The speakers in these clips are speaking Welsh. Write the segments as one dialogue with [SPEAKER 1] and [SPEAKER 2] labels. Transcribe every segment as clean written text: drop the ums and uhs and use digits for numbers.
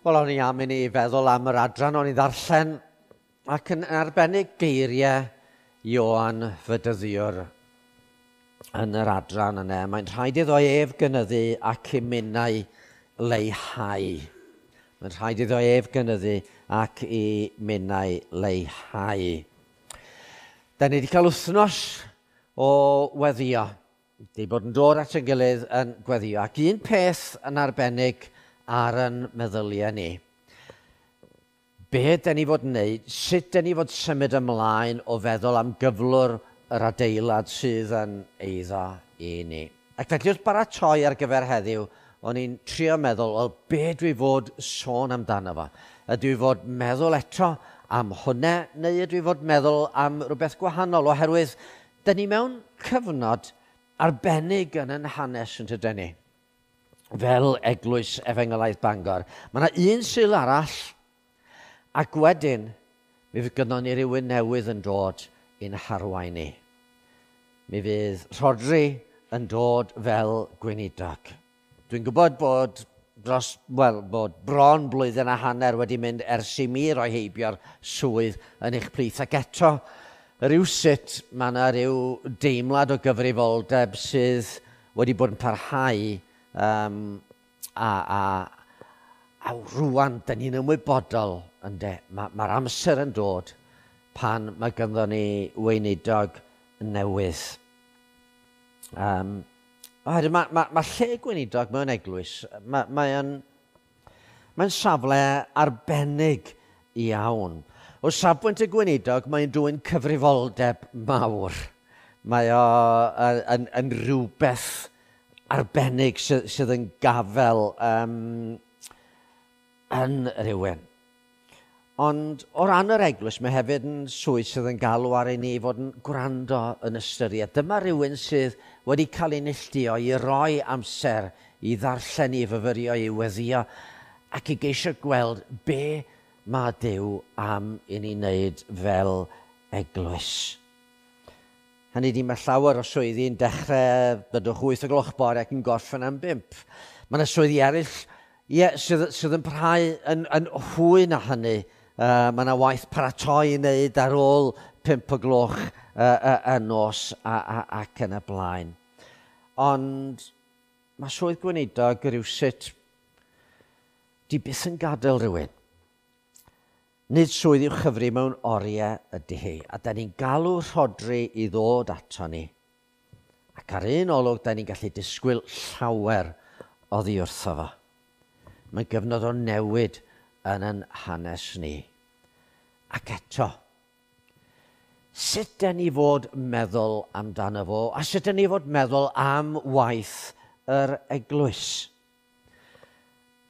[SPEAKER 1] Wel, o'n i am i ni feddwl am yr adran o'n i ddarllen ac yn arbennig geiriau Ioan Fydyddiwr yn yr adran yna. Mae'n rhaid iddo ef gynyddu ac i minnau leihau. Mae'n rhaid iddo ef gynyddu ac i minnau leihau. Da ni wedi cael wythnos o weddio. Di bod yn dod at ein gilydd yn gweddio. Ac un peth yn arbennig ar yn meddyliau ni. Be dyn ni fod yn wneud, sut dyn ni fod symud ymlaen o feddwl am gyflwr yr adeilad sydd yn eiddo i ni. Ac felly wrth baratoi ar gyfer heddiw, o'n i'n trio meddwl, wel, be dwi fod sôn amdano fo? Ydw i fod meddwl eto am hwnna, neu ydw i fod meddwl am rhywbeth gwahanol? Oherwydd, dyn ni mewn cyfnod arbennig yn yn hanes yn tydyn ni fel Eglwys Efengylaidd Bangor. Mae yna un Sul arall, ac wedyn mi fydd gynnon ni rywun newydd yn dod i'n harwain ni. Mi fydd Rhodri yn dod fel gweinidog. Dwi'n gwybod bod dros, wel, bod bron blwyddyn a hanner wedi mynd ers i mi roi heibio'r swydd yn eich plith. Ac eto, rywsut, mae yna rhyw deimlad o gyfrifoldeb sydd wedi bod yn parhau a, a, a rwan, dyn ni'n ymwybodol, ynde, mae'r ma amser yn dod pan mae ganddo ni weinidog newydd. Oherwydd mae, ma, ma lle gweinidog mewn eglwys, mae'n mae mae safle arbennig iawn. O safbwynt y gweinidog, mae'n dwyn cyfrifoldeb mawr. Mae o yn, yn, yn rhywbeth arbennig sydd, sydd yn gafel um, yn rhywun. Ond o ran yr eglwys, mae hefyd yn swydd sydd yn galw ar i ni fod yn gwrando yn ystyried. Dyma rhywun sydd wedi cael ei neilltuo i roi amser i ddarllen, i fyfyrio, i weddio, ac i geisio gweld be mae Duw am i ni wneud fel eglwys. Hynny ydi, mae llawer o swyddi'n dechrau, byddwch 8 o gloch bore ac yn gorffen am 5. Mae yna swyddi eraill ie, sydd, sydd yn parhau yn, yn hwy na hynny. Mae yna waith paratoi i wneud ar ôl 5 o gloch y nos a, a, ac yn y blaen. Ond mae swydd gweinidog rywsut di byth yn gadael rhywun. Nid swydd i'w chyfri mewn oriau ydy hi, a da ni'n galw Rhodri i ddod ato ni. Ac ar un olwg, da ni'n gallu disgwyl llawer oddi wrtho fo. Mae'n gyfnod o newid yn yn hanes ni. Ac eto, sut da ni fod meddwl amdano fo, a sut da ni fod meddwl am waith yr eglwys?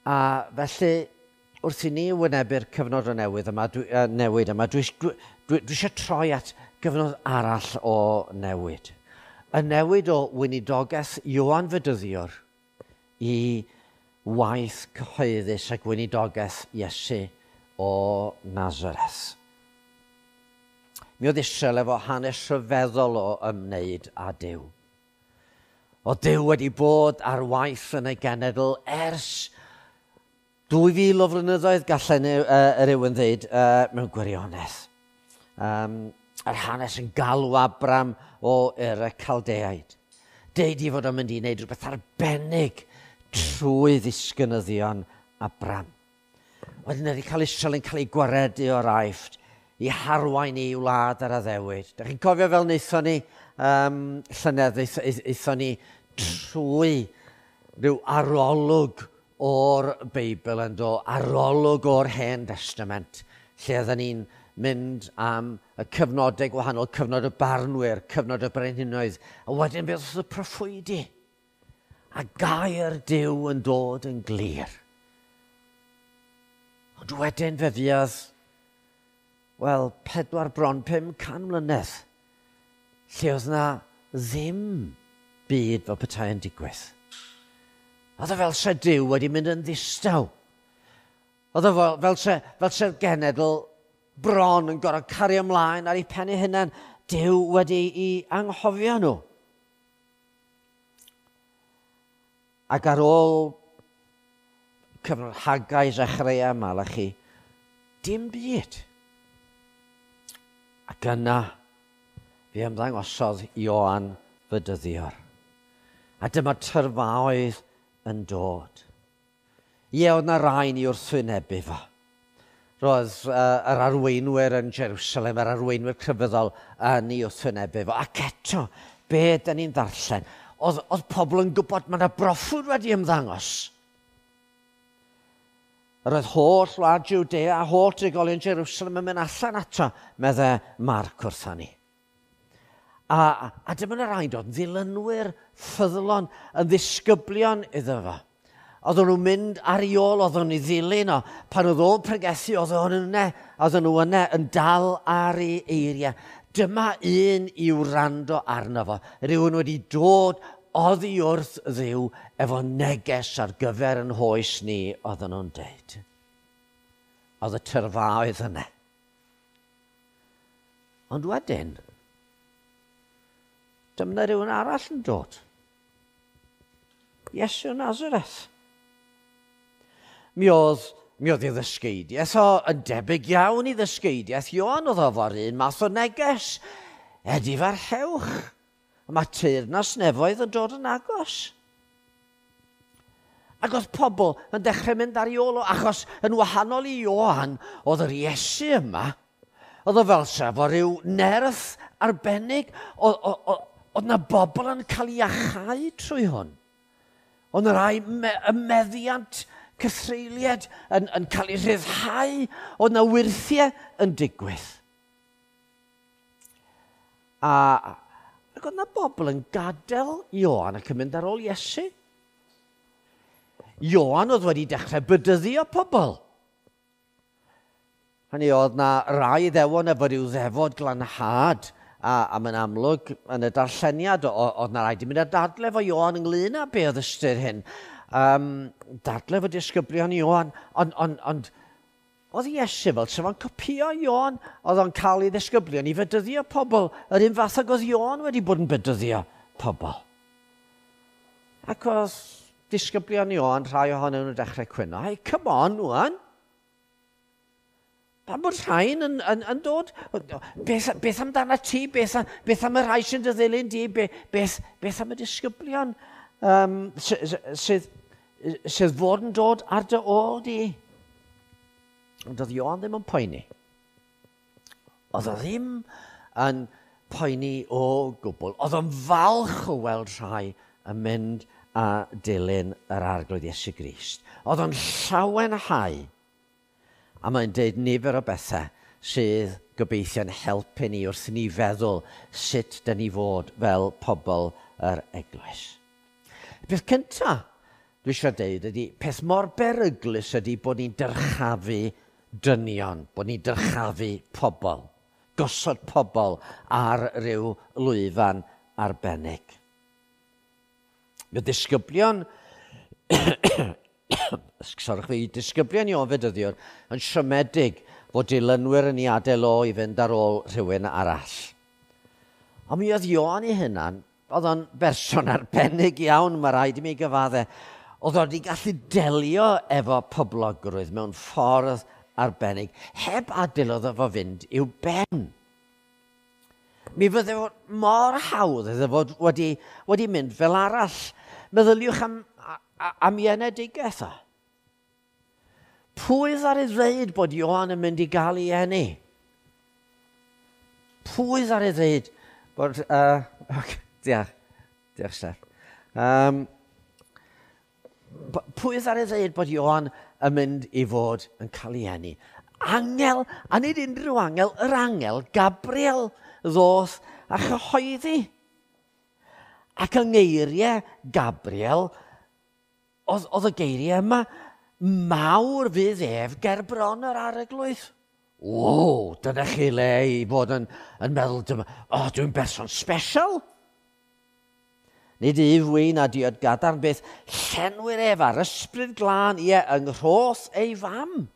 [SPEAKER 1] A felly, wrth i ni wynebu'r cyfnod o newydd yma, dwi, newid yma, dwi, dwi, dwi, dwi eisiau troi at gyfnod arall o newid. Y newid o weinidogaeth Ioan Fedyddiwr i waith cyhoeddus a gweinidogaeth Iesu o Nazareth. Mi oedd Israel efo hanes rhyfeddol o ymwneud â Duw. O Duw wedi bod ar waith yn ei genedl ers 2000 o flynyddoedd, gallen uh, rhywun ddeud, uh, mewn gwirionedd. Um, yr hanes yn galw Abram o Ur y Caldeaid. Deud i fod o'n mynd i wneud rhywbeth arbennig trwy ddisgynyddion Abram. Wedyn wedi cael Israel yn cael ei gwaredu o'r Aifft i harwain i wlad ar addewid. Da chi'n cofio fel wnaethon ni um, llynedd, aethon ni trwy rhyw arolwg o'r Beibl yn do, arolwg o'r Hen Testament, lle oedden ni'n mynd am y cyfnodau gwahanol, cyfnod y barnwyr, cyfnod y brenhinoedd, a wedyn beth oedd y proffwydi. A gair Duw yn dod yn glir. Ond wedyn fe fuodd, wel, 4 bron 500 mlynedd, lle oedd na ddim byd fel petai yn digwydd. Oedd o fel se Duw wedi mynd yn ddistaw. Oedd o fel, fel, se, fel se'r genedl bron yn gorfod cario ymlaen ar ei pen ei hunan. Duw wedi i anghofio nhw. Ac ar ôl Cyfnod Haggai, Zechariah, Malachi. Dim byd. Ac yna, fe ymddangosodd Ioan Fydyddiwr. A dyma tyrfaoedd yn dod. Ie, oedd na rai ni wrthwynebu fo. Roedd yr arweinwyr yn Jerusalem, yr arweinwyr crefyddol yn ei wrthwynebu fo. Ac eto, be dyn ni'n ddarllen? Oedd pobl yn gwybod mae yna broffwyd wedi ymddangos. Yr oedd holl wlad Judea a holl drigolion Jerusalem yn mynd allan ato, meddai Marc wrtha ni. A dyma yna rhaid oedd ddilynwyr ffyddlon yn ddisgyblion iddo fo. Oedden nhw'n mynd ar ei ôl, oedden nhw'n ei ddilyn o. Pan oedd o'n pregethu, oedden nhw yna yn dal ar ei eiriau. Dyma un i wrando arno fo. Rhywun wedi dod oddi wrth Dduw efo neges ar gyfer yn hoes ni, oedden nhw'n deud. Oedd y tyrfaoedd yna. Ond wedyn, dyma rhywun arall yn dod. Iesu o Nazareth. Mi oedd ei ddysgeidiaeth o yn debyg iawn i ddysgeidiaeth Ioan, oedd o fo'r un math o neges. Edifarhewch. Mae teyrnas nefoedd yn dod yn agos. Ac oedd pobl yn dechrau mynd ar ei ôl o, achos yn wahanol i Ioan, oedd yr Iesu yma, oedd o fel sef o ryw nerth arbennig, oedd na bobl yn cael ei achau trwy hwn. Oedd na rai y meddiant cythreuliad yn cael ei rhyddhau, oedd na wyrthiau yn digwydd. Ac oedd na bobl yn gadael Ioan ac yn mynd ar ôl Iesu. Ioan oedd wedi dechrau bydyddio pobl. Hynny oedd na rai ddewon efo rhyw ddefod glanhad, a mae'n amlwg yn y darlleniad oedd na rai di mynd â dadle efo Ioan ynglyn â be oedd ystyr hyn. Dadle efo disgyblion Ioan, ond oedd Iesu fel sef o'n copio Ioan, oedd o'n cael ei ddisgyblion i fedyddio pobl, yr un fath ag oedd Ioan wedi bod yn bedyddio pobl. Ac oedd disgyblion Ioan, rhai ohonyn nhw'n dechrau cwyno, hey, come on, wan. Pam bod rhain yn dod? Beth amdana ti? Beth am y rhai sy'n dy ddilyn di? Beth am y disgyblion sydd fod yn dod ar dy ôl di? Ond oedd Ioan ddim yn poeni. Oedd o ddim yn poeni o gwbl. Oedd o'n falch o weld rhai yn mynd a dilyn yr Arglwydd Iesu Grist. Oedd o'n llawenhau. A mae'n deud nifer o bethau sydd gobeithio'n helpu ni wrth ni feddwl sut dyn ni fod fel pobl yr eglwys. Y peth cyntaf dwi eisiau deud ydy, peth mor beryglus ydy bod ni'n dyrchafu dynion, bod ni'n dyrchafu pobl, gosod pobl ar ryw lwyfan arbennig. Mae disgyblion, disgyblion Ioan Fedyddiwr yn siomedig fod dilynwyr yn ei adael o i fynd ar ôl rhywun arall. Ond mi oedd Ioan ei hunan, oedd o'n berson arbennig iawn, mae rhaid i mi gyfadde. Oedd o wedi gallu delio efo poblogrwydd mewn ffordd arbennig, heb adael oedd efo fynd i'w ben. Mi fydde fod mor hawdd iddo fod wedi mynd fel arall. Meddyliwch am ei enedigaeth o. Pwy ddaru ddeud bod Ioan yn mynd i gael ei eni? Pwy ddaru ddeud bod... Diolch, diolch Steph. Pwy ddaru ddeud bod Ioan yn mynd i fod yn cael ei eni? Angel, a nid unrhyw angel, yr angel Gabriel ddoth a chyhoeddi. Ac yng ngeiriau Gabriel, oedd y geiriau yma, mawr fydd ef ger bron yr Arglwydd. O, dyna chi le i fod yn meddwl, dyma, o, dwi'n berson special. Nid yf wyn a diod gadarn beth, llenwir ef ar ysbryd glân, ie, yng nghroth ei fam.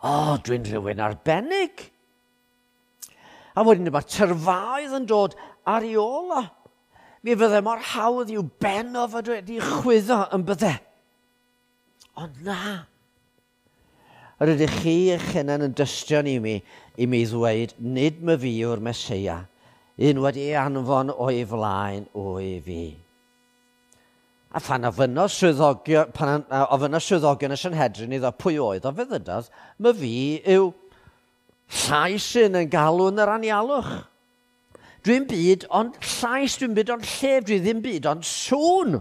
[SPEAKER 1] O, dwi'n rhywun arbennig. A wedyn mae'r tyrfaoedd yn dod ar ei ôl o. Mi fydde mor hawdd i'w ben o fod wedi chwyddo yn bydde. Ond na. Yr ydych chi eich hunain yn dystion i mi, i mi ddweud, nid myfi yw'r Meseia, un wedi ei anfon o'i flaen o'i fi. A phan ofynnodd swyddogion, pan ofynnodd swyddogion y Sanhedrin iddo pwy oedd o, fe ddydodd, myfi yw llais un yn galw yn yr anialwch. Dwi'n byd ond llais, dwi'n byd ond llef, dwi ddim byd ond sŵn.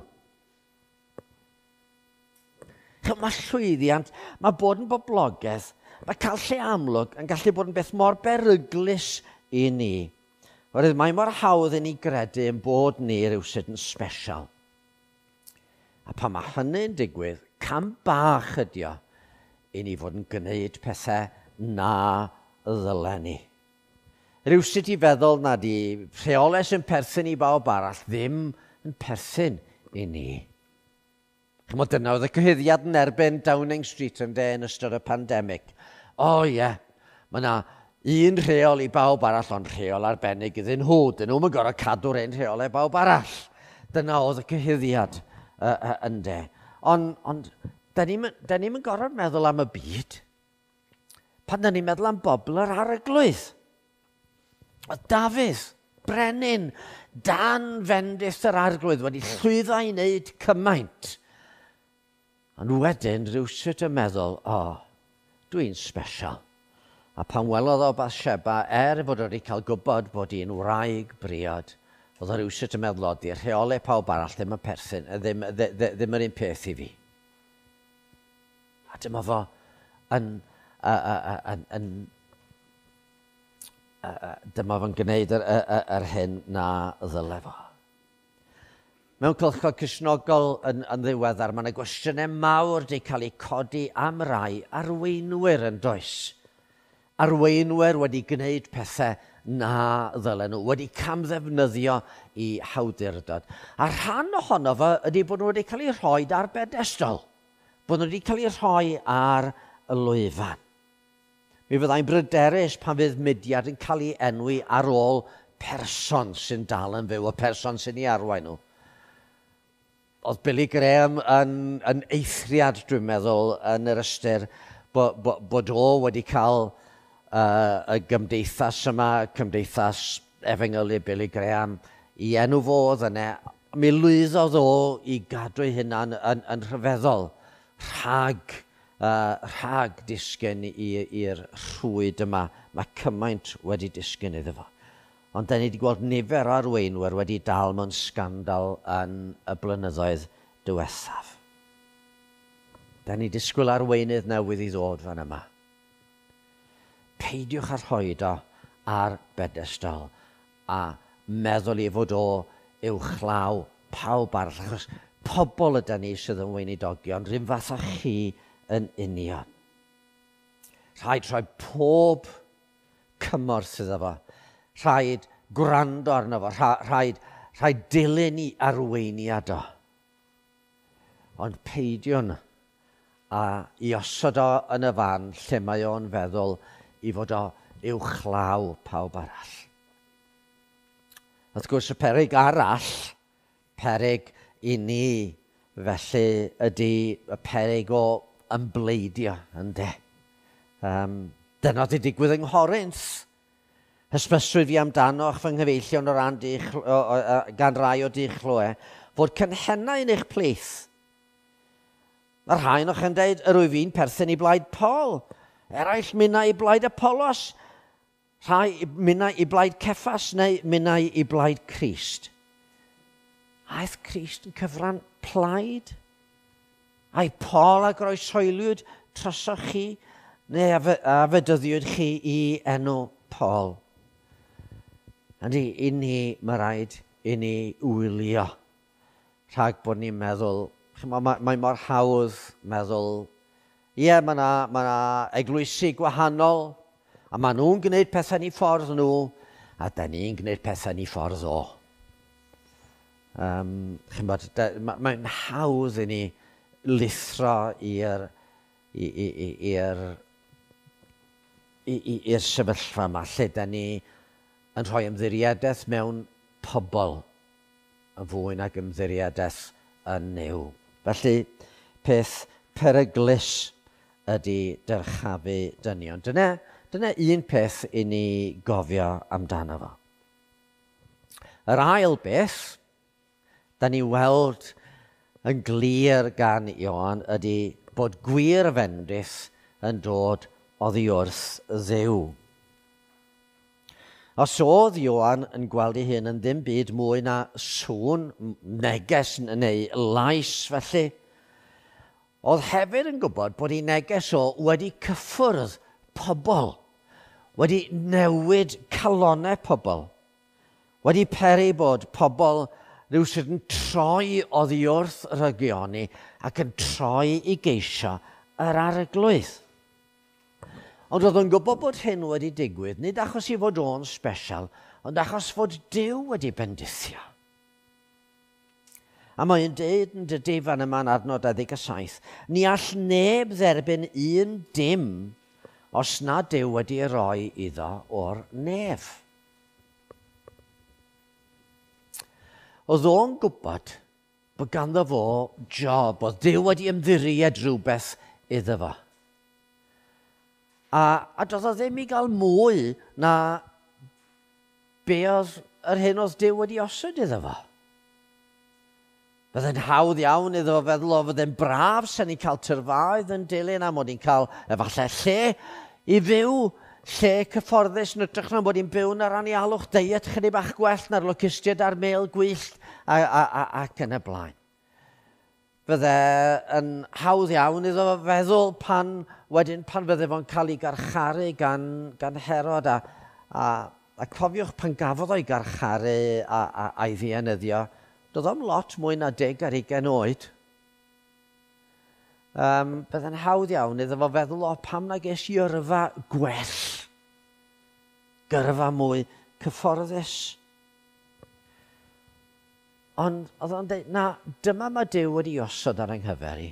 [SPEAKER 1] Mae llwyddiant, mae bod yn boblogaidd, mae cael lle amlwg yn gallu bod yn beth mor beryglus i ni. Oherwydd mae mor hawdd i ni gredu yn bod ni rhywsut yn special. A pan mae hynny'n digwydd, cam bach ydi o i ni fod yn gwneud pethau na ddylen ni. Rhywsut i feddwl na di rheolau sy'n perthyn i bawb arall ddim yn perthyn i ni. Chymod, dyna oedd y cyhuddiad yn erbyn Downing Street yn de yn ystod y pandemig. O ie, yeah, mae yna un rheol i bawb arall, ond rheol arbennig iddyn nhw. Dyn nhw'n gorfod cadw'r un rheolau bawb arall. Dyna oedd y cyhuddiad yn de. Ond on, da ni'n gorfod meddwl am y byd. Pan da ni'n meddwl am bobl yr arglwydd. Oedd Dafydd, brenin, dan fendith yr arglwydd wedi llwyddo i wneud cymaint. Ond wedyn rhywsut yn meddwl, o, oh, dwi'n special. A pan welodd o Bathsheba, er fod wedi cael gwybod bod hi'n wraig briod, oedd o rhywsut yn meddwl, o, di'r rheolau pawb arall ddim yn perthyn, ddim, ddim yr un peth i fi. A dyma fo yn, yn, yn, dyma fo'n gwneud yr, yr, yr hyn na ddyle fo. Mewn cylchog Cristnogol yn, yn ddiweddar, mae yna gwestiynau mawr wedi cael eu codi am rai arweinwyr yn does. Arweinwyr wedi gwneud pethau na ddylen nhw, wedi camddefnyddio i hawdurdod. A rhan ohono fo ydy bod nhw wedi cael eu rhoi ar bedestol, bod nhw wedi cael eu rhoi ar y lwyfan. Mi fyddai'n bryderus pan fydd mudiad yn cael ei enwi ar ôl person sy'n dal yn fyw, y person sy'n ei arwain nhw. Oedd Billy Graham yn, yn eithriad, dwi'n meddwl, yn yr ystyr bod, bo, bod o wedi cael y gymdeithas yma, cymdeithas efengylu Billy Graham, i enw fo oedd yna. Mi lwyddodd o i gadw ei hunan yn, yn rhyfeddol rhag, rhag disgyn i'r rhwyd yma. Mae cymaint wedi disgyn iddo fo. Ond da ni wedi gweld nifer o arweinwyr wedi dal mewn sgandal yn y blynyddoedd diwethaf. Da ni disgwyl arweinydd newydd i ddod fan yma. Peidiwch â rhoi o ar bedestol a meddwl i fod o uwchlaw pawb arall, achos pobl yda ni sydd yn weinidogion, rhywun fath â chi yn union. Rhaid rhoi pob cymorth iddo fo. Rhaid gwrando arno fo, rhaid, rhaid dilyn i arweiniad o. Ond peidiwn a i osod o yn y fan lle mae o'n feddwl i fod o uwchlaw pawb arall. Wrth gwrs, y peryg arall, peryg i ni felly ydy y peryg o ymbleidio, ynde. Um, dyna wedi digwydd yng Nghorinth. Hysbyswyd fi amdanoch fy nghyfeillion o ran dich, o, o, o, gan rai o dich chloe, fod cynhennau yn eich plith. Mae rhai o'ch yn dweud, yr wyf fi'n perthyn i blaid Paul, eraill minnau i blaid Apollos, rhai minnau i blaid Ceffas neu minnau i blaid Crist. Aeth Crist yn cyfran plaid? Ai Paul a groeshoeliwyd trosoch chi, neu a fedyddiwyd chi i enw Paul? Ydy, i ni, mae rhaid i ni wylio rhag bod ni'n meddwl, mae, mae mor hawdd meddwl, ie, yeah, mae yna ma eglwysi gwahanol, a maen nhw'n gwneud pethau ni ffordd nhw, a da ni'n gwneud pethau ni ffordd o. Um, chymod, mae'n hawdd i ni lithro i'r i'r i'r sefyllfa yma, lle da ni yn rhoi ymddiriedaeth mewn pobl yn fwy nag ymddiriedaeth yn Nuw. Felly, peth peryglus ydy dyrchafu dynion. Dyna un peth i ni gofio amdano fo. Yr ail beth, da ni weld yn glir gan Ioan, ydy bod gwir fendith yn dod oddi wrth Dduw. Os oedd Ioan yn gweld ei hun yn ddim byd mwy na sŵn, neges neu lais felly, oedd hefyd yn gwybod bod ei neges o wedi cyffwrdd pobl, wedi newid calonnau pobl, wedi peri bod pobl rhywsut yn troi oddi wrth rygioni ac yn troi i geisio yr arglwydd. Ond oedd o'n gwybod bod hyn wedi digwydd, nid achos i fod o'n special, ond achos fod Duw wedi bendithio. A mae'n deud yn dydy fan yma'n adnod 27, ni all neb dderbyn un dim os na Duw wedi roi iddo o'r nef. Oedd o'n gwybod bod ganddo fo job, oedd Duw wedi ymddiried rhywbeth iddo fo. A doedd o ddim i gael mwy na be oedd yr hyn oedd Duw wedi osod iddo fo. Byddai'n hawdd iawn iddo fo feddwl o fydde'n braf sy'n ni'n cael tyrfaoedd yn dilyn a mod i'n cael efallai lle i fyw, lle cyfforddus yn ytrach na mod i'n byw yn yr anialwch, deiet chydig bach gwell na'r locustiaid a'r mêl gwyllt ac yn y blaen. Fydde yn hawdd iawn iddo fo feddwl pan fydde fo'n cael ei garcharu gan Herod a cofiwch pan gafodd o'i garcharu a'i ddienyddio, doedd o'm lot mwy na 10 ar 20 oed. Bydde'n hawdd iawn iddo fo feddwl, o pam na ges i yrfa gwell, gyrfa mwy cyfforddus. Ond oedd o'n dweud, na, dyma mae Duw wedi osod ar yng nghyfer i.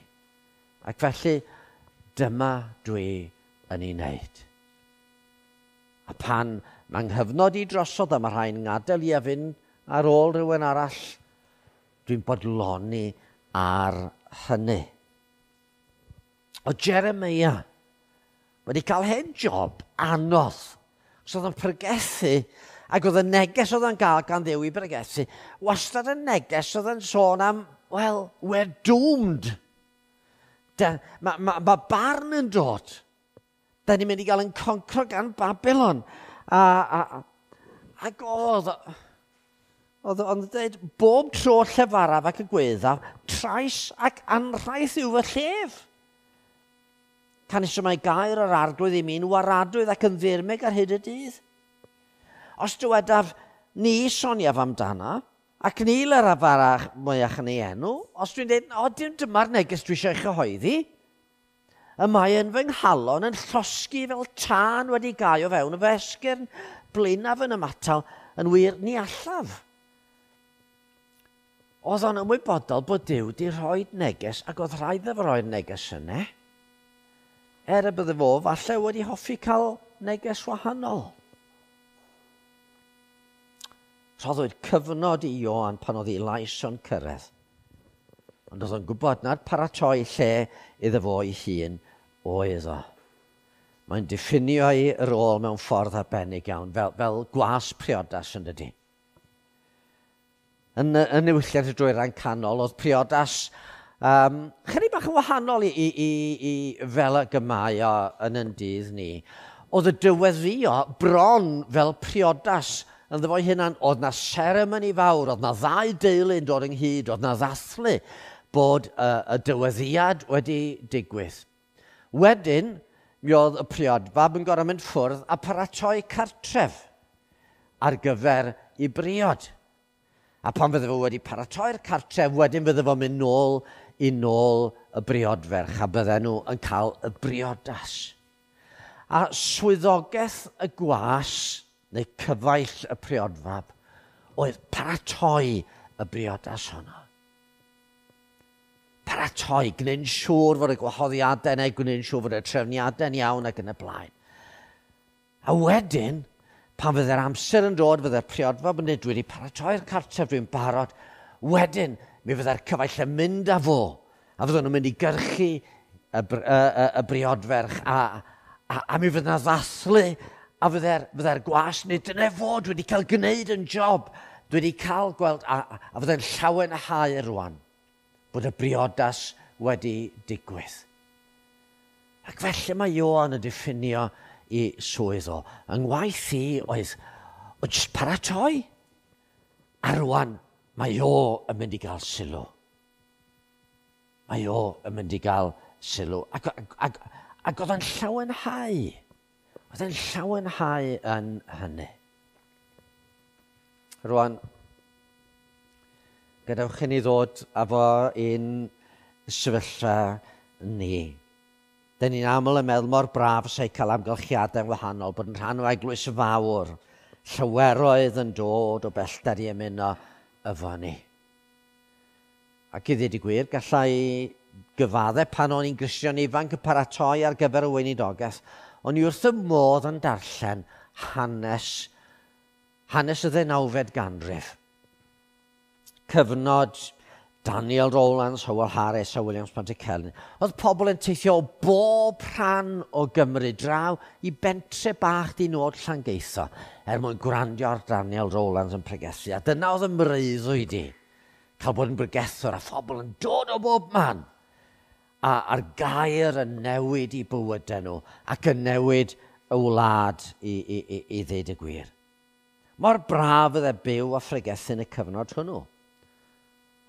[SPEAKER 1] Ac felly, dyma dwi yn ei wneud. A pan mae nghyfnod i drosodd a mae rhai'n ngadael i a fynd ar ôl rhywun arall, dwi'n bodloni ar hynny. O Jeremia wedi cael hen job anodd. So oedd o'n pregethu, ac oedd y neges oedd o'n gael gan Dduw i bregethu, wastad y neges oedd yn sôn am, well, we're doomed. Mae barn yn dod. Da ni'n mynd i gael yn concro gan Babylon. Ac oedd o'n dweud, bob tro llefaraf ac y gweddaf, trais ac anrhaith yw fy llef. Canys y mae gair yr arglwydd i mi'n waradwydd ac yn ddirmyg ar hyd y dydd. Os dywedaf, ni soniaf amdana, ac ni leraf arach mwyach yn ei enw, os dwi'n dweud, o, dim dyma'r neges dwi eisiau ei chyhoeddi, y mae yn fy nghalon yn llosgi fel tân wedi gau o fewn y fy esgyrn, blinaf yn ymatal, yn wir ni allaf. Oedd o'n ymwybodol bod Duw wedi rhoi neges, ac oedd rhaid iddo fo roi'r neges yna. Er y bydde fo falle wedi hoffi cael neges wahanol. Rhoddwyd cyfnod i Ioan pan oedd ei lais o'n cyrraedd. Ond oedd o'n gwybod na'r paratoi lle iddo fo ei hun oedd o. Mae'n diffinio ei rôl mewn ffordd arbennig iawn, fel gwas priodas yn dydi. Yn niwylliant y Dwyrain Canol, oedd priodas chydig bach yn wahanol i fel y gymau o yn yn dydd ni. Oedd y dyweddio bron fel priodas ynddo fo'i hunan. Oedd na seremoni fawr, oedd na ddau deulu yn dod ynghyd, oedd na ddathlu bod y dyweddiad wedi digwydd. Wedyn, mi oedd y priodfab yn gorfod mynd ffwrdd a paratoi cartref ar gyfer ei briod. A pan fydde fo wedi paratoi'r cartref, wedyn fydde fo'n mynd nôl i nôl y briodferch a bydden nhw yn cael y briodas. A swyddogaeth y gwas, neu cyfaill y priodfab, oedd paratoi y briodas honno. Paratoi, gwneud yn siŵr fod y gwahoddiadau neu gwneud yn siŵr fod y trefniadau'n iawn ac yn y blaen. A wedyn, pan fydde'r amser yn dod, fydde'r priodfab yn dweud, dwi wedi paratoi'r cartref, dwi'n barod. Wedyn, mi fydde'r cyfaill yn mynd â fo, a fydden nhw'n mynd i gyrchu y briodferch a mi fydd yna ddathlu a fydde'r gwas neu dyna fod wedi cael gwneud yn job, dwi wedi cael gweld a fydde'n llawenhau rwan bod y briodas wedi digwydd. Ac felly mae Ioan yn diffinio i swydd o. Yng ngwaith i oedd o jyst paratoi. A rwan mae o yn mynd i gael sylw. Mae o yn mynd i gael sylw. Ac oedd o'n llawenhau. Oedd o'n llawenhau yn hynny. Rwan, gadewch i ni ddod efo un sefyllfa ni. Dyn ni'n aml yn meddwl mor braf sy'n cael amgylchiadau wahanol, bod yn rhan o eglwys fawr, llaweroedd yn dod o bellter i ymuno efo ni. Ac i ddweud y gwir, gallai gyfaddau pan o'n i'n Gristion ifanc yn paratoi ar gyfer y weinidogaeth, o'n i wrth y modd yn darllen hanes y ddeunawfed ganrif. Cyfnod Daniel Rowlands, Howell Harris a Williams Pantycelyn. Oedd pobl yn teithio o bob rhan o Gymru draw i bentre bach di nod Llangeitho er mwyn gwrandio ar Daniel Rowlands yn pregethu. A dyna oedd y mreuddwyd i, cael bod yn bregethwr a phobl yn dod o bob man. A a'r gair yn newid i bywydau nhw ac yn newid y wlad i ddeud y gwir. Mor braf oedd e byw a phregethu yn y cyfnod hwnnw.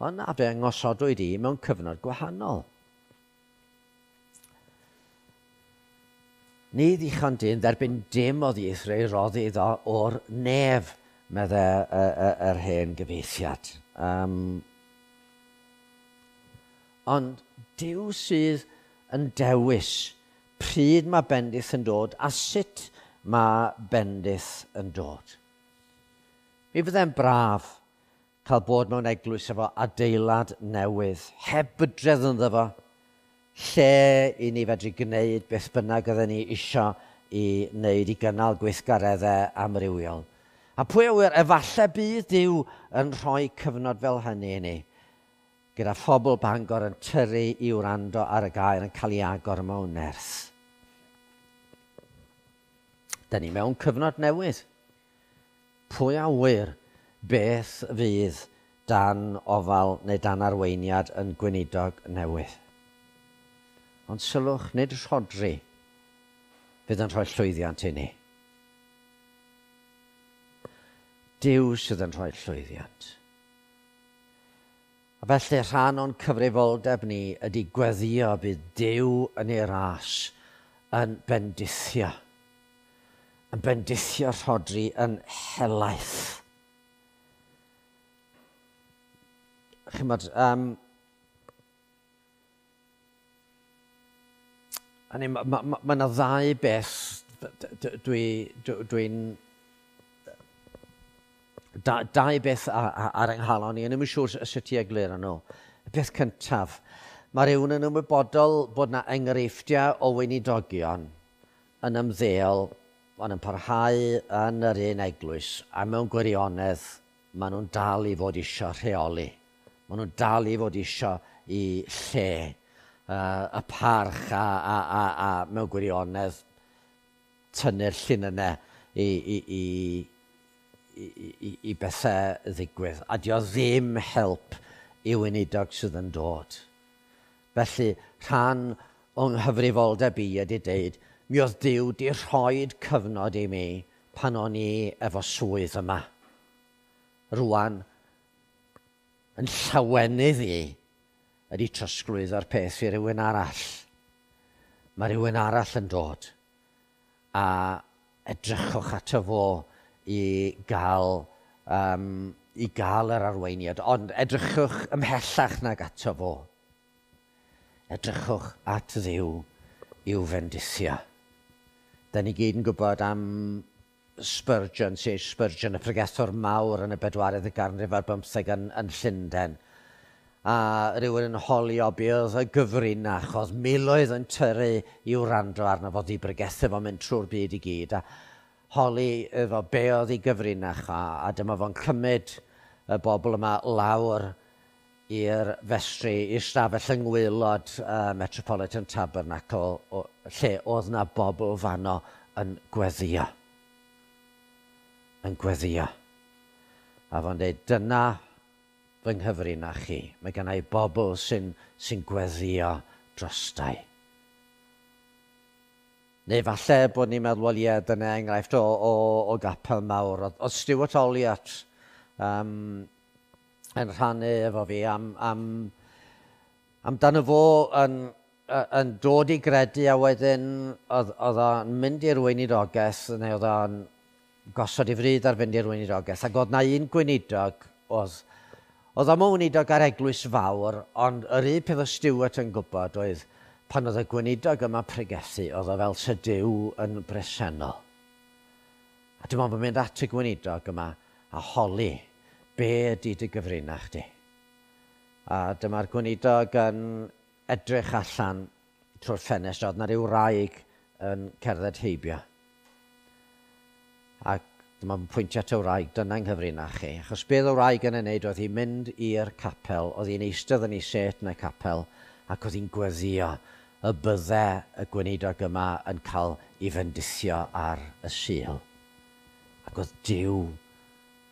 [SPEAKER 1] Ond na, fe ngosodwyd i mewn cyfnod gwahanol. Ni ddichon dyn dderbyn dim o ddieithr ei roddi iddo o'r nef, medde yr hen gyfeithiad. Ond Duw sydd yn dewis pryd mae bendith yn dod a sut mae bendith yn dod. Mi fydde'n braf cael bod mewn eglwys efo adeilad newydd, heb bydredd ynddo fo, lle i ni fedru gwneud beth bynnag oedden ni isio i wneud i gynnal gweithgareddau amrywiol. A pwy a ŵyr, efallai bydd Duw yn rhoi cyfnod fel hynny i ni, gyda phobl Bangor yn tyrru i wrando ar y gair yn cael ei agor mewn nerth. Da ni mewn cyfnod newydd. Pwy a ŵyr beth fydd dan ofal neu dan arweiniad yn gweinidog newydd. Ond sylwch, nid Rhodri fydd yn rhoi llwyddiant i ni. Duw sydd yn rhoi llwyddiant. A felly rhan o'n cyfrifoldeb ni ydy gweddio bydd Duw yn ei ras yn bendithio. Yn bendithio Rhodri yn helaeth. Chimod, mae yna ddau beth dwi'n dau beth ar yng nghalon i, a ddim yn siŵr sut i egluro nhw. Y peth cyntaf, mae rhywun yn ymwybodol bod yna enghreifftiau o weinidogion yn ymddeol, ond yn parhau yn yr un eglwys, a mewn gwirionedd maen nhw'n dal i fod isio rheoli. Maen nhw'n dal i fod isio i lle, y parch a mewn gwirionedd tynnu'r llinynnau i bethau ddigwydd. A dio ddim help i weinidog sydd yn dod. Felly, rhan o'n nghyfrifoldeb i ydy deud, mi oedd Duw di rhoid cyfnod i mi pan o'n i efo swydd yma. Rwan, yn llawenydd i ydy trosglwyddo'r peth i rywun arall. Mae rhywun arall yn dod a edrychwch ato fo i gael yr arweiniad, ond edrychwch ymhellach nag ato fo. Edrychwch at Dduw i'w fendithio. Da ni gyd yn gwybod am Spurgeon, C.H. Spurgeon, y pregethwr mawr yn y bedwaredd ganrif ar bymtheg yn Llundain. A rhywun yn holio be oedd y gyfrinach, oedd miloedd yn tyrru i wrando arno fo, i bregethu fo'n mynd trwy'r byd i gyd. A holi efo be oedd ei gyfrinach, a dyma fo'n cymryd y bobl yma lawr i'r festri, i'r stafell yng ngwaelod Metropolitan Tabernacle, lle oedd na bobl fanno yn gweddio. Yn gweddio. A fo'n dweud, dyna fy nghyfrinach chi. Mae gennau bobl sy'n sy gweddio drostai. Neu falle bod ni'n meddwl, wel ie, dyna enghraifft o gapel mawr. Oedd Stuart Olliott yn rhannu efo fi amdano fo yn dod i gredu, a wedyn oedd o'n mynd i'r weinidogaeth, neu oedd o'n gosod i fryd ar fynd i'r weinidogaeth. Ac oedd na un gweinidog, oedd o'n weinidog ar eglwys fawr, ond yr un peth o Stuart yn gwybod oedd pan oedd y gweinidog yma pregethu, oedd o fel sy Duw yn bresennol. A dim ond bod mynd at y gweinidog yma a holi, be ydy dy gyfrinach di? A dyma'r gweinidog yn edrych allan trwy'r ffenestr, oedd na ryw wraig yn cerdded heibio. Ac dyma'n pwyntio at y wraig, dyna'n nghyfrinach chi. Achos beth oedd y wraig yn ei wneud oedd hi'n mynd i'r capel, oedd hi'n eistedd yn ei set yn y capel, ac oedd hi'n gweddio y bydde y gweinidog yma yn cael ei fendithio ar y Sul. Ac oedd Duw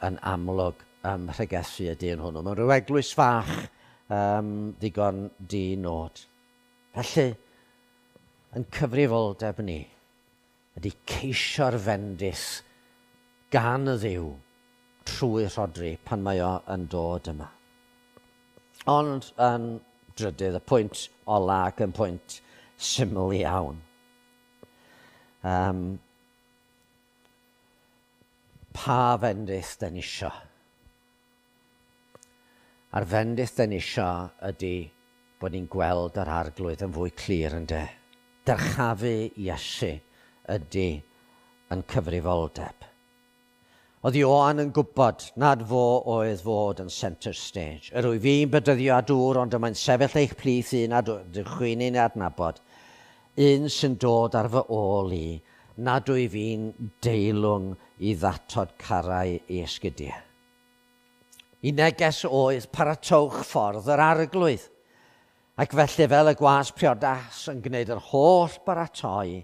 [SPEAKER 1] yn amlwg ym mhregethu y dyn hwnnw. Mewn rhyw eglwys fach ddigon di-nod. Felly, yn cyfrifoldeb ni ydy ceisio'r fendith gan y Dduw trwy Rhodri pan mae o yn dod yma. Ond yn drydydd, y pwynt ola ac yn pwynt syml iawn. Pa fendith den isio? A'r fendith den isio ydy bod ni'n gweld yr Arglwydd yn fwy clir yn de. Dyrchafu Iesu ydy yn cyfrifoldeb. Oedd Ioan yn gwybod nad fo oedd fod yn centre stage. Yr wyf fi'n bedyddio â dŵr, ond yma'n sefyll eich plith un a chwi'n ein adnabod. Un sy'n dod ar fy ôl i, nad wyf fi'n deilwng i ddatod carau i esgidiau. I neges oedd paratowch ffordd yr Arglwydd. Ac felly fel y gwas priodas yn gwneud yr holl baratoi,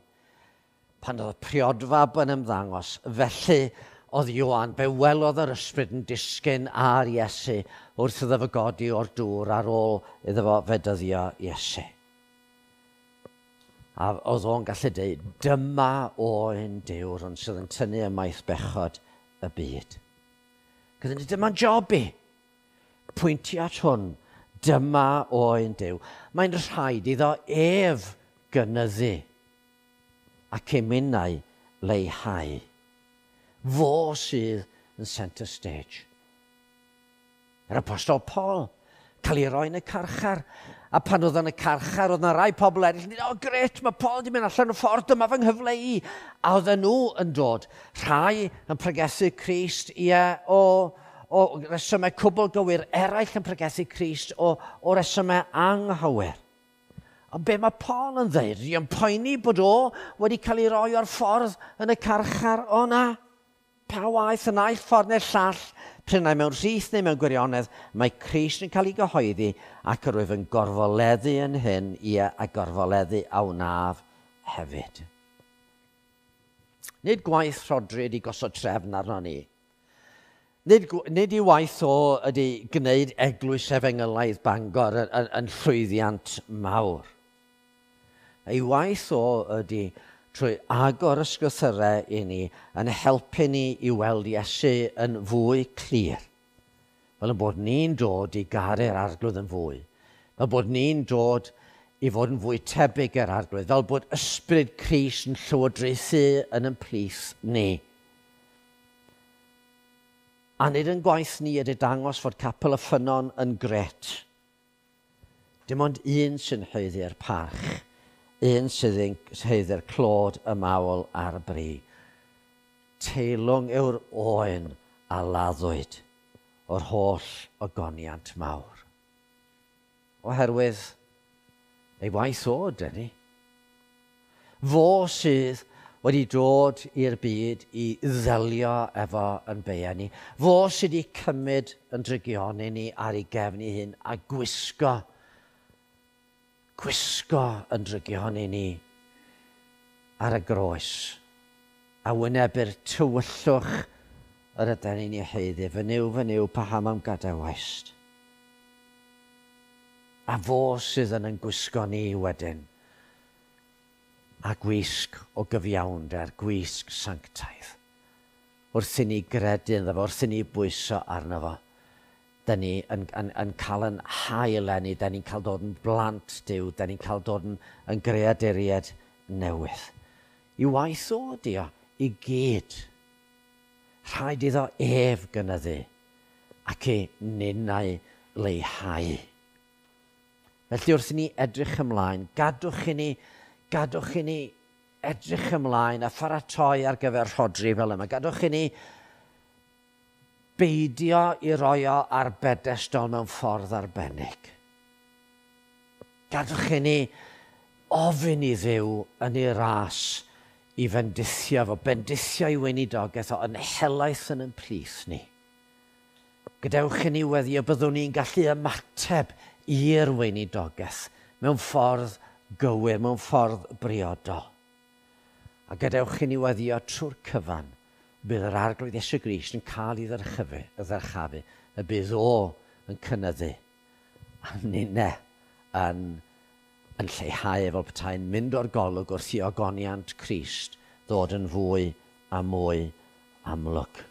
[SPEAKER 1] pan oedd y priodfab yn ymddangos, felly oedd Ioan, fe welodd yr ysbryd yn disgyn ar Iesu wrth iddo fo godi o'r dŵr ar ôl iddo fo fedyddio Iesu. A oedd o'n gallu dweud, dyma oen Duw ond sydd yn tynnu ymaith bechod y byd. Gyda ni, dyma'n job i. Pwyntio at hwn, dyma oen Duw. Mae'n rhaid iddo ef gynyddu ac emynau leihau. Fo sydd yn centre stage. Yr Apostol Paul, cael ei roi yn y carchar. A pan oedd yn y carchar, oedd yna rai pobl eraill yn dweud, o gret, mae Paul wedi mynd allan o ffordd, dyma fy nghyfle i. A oedden nhw yn dod, rhai yn pregethu Crist, ie, o resymau cwbl gywir, eraill yn pregethu Crist o resymau anghywir. Ond be mae Paul yn dweud, yn poeni bod o wedi cael ei roi o'r ffordd yn y carchar o na. Pa waith y naill ffordd neu'r llall, prynau mewn rhith neu mewn gwirionedd, mae Crist yn cael ei gyhoeddi ac yr wyf yn gorfoleddu yn hyn, ie, a gorfoleddu a wnaf hefyd. Nid gwaith Rhodri ydy gosod trefn arno ni. Nid i waith o ydy gwneud eglwys efengylaidd Bangor yn llwyddiant mawr. Ei waith o ydy trwy agor ysgrythyrau i ni yn helpu ni i weld Iesu yn fwy clir. Fel yn bod ni'n dod i garu'r Arglwydd yn fwy. Fel bod ni'n dod i fod yn fwy tebyg i'r Arglwydd. Fel bod ysbryd Crist yn llywodraethu yn ein plith ni. A nid yn gwaith ni ydy dangos fod Capel y Ffynnon yn gret. Dim ond un sy'n haeddu'r parch. Un sydd yn haeddu'r clod, y mawl a'r bri. Teilwng yw'r oen a laddwyd o'r holl ogoniant mawr. Oherwydd ei waith o, dyn ni. Fo sydd wedi dod i'r byd i ddelio efo yn beia ni. Fo sydd wedi cymryd yn drygioni ni ar ei gefn ei hun a gwisgo, gwisgo yn drygioni ni ar y groes a wynebu'r tywyllwch yr ydyn ni'n ei haeddu. Fy Nuw, fy Nuw, paham a'm gadawaist? A fo sydd yn yn gwisgo ni wedyn a gwisg o gyfiawnder, gwisg sanctaidd. Wrth i ni gredu ynddo fo, wrth i ni bwyso arno fo, da ni yn, yn, yn cael yn hael ni, da ni'n cael dod yn blant Duw, da ni'n cael dod yn, yn greaduriaid newydd. I waith o ydi o, i gyd. Rhaid iddo ef gynyddu ac i ninnau leihau. Felly wrth i ni edrych ymlaen, gadwch i ni gadwch i ni edrych ymlaen a pharatoi ar gyfer Rhodri fel yma. Gadwch i ni beidio i roi o ar bedestol mewn ffordd arbennig. Gadwch i ni ofyn i Dduw yn ei ras i fendithio fo, bendithio i weinidogaeth o yn helaeth yn yn plith ni. Gadewch i ni weddio byddwn ni'n gallu ymateb i'r weinidogaeth mewn ffordd gywir, mewn ffordd briodol. A gadewch i ni weddio trwy'r cyfan, bydd yr Arglwydd Iesu Grist yn cael ei ddyrchafu, y ddyrchafu, y bydd o yn cynyddu, a ninne yn, yn lleihau fel petai'n mynd o'r golwg wrth i ogoniant Crist ddod yn fwy a mwy amlwg.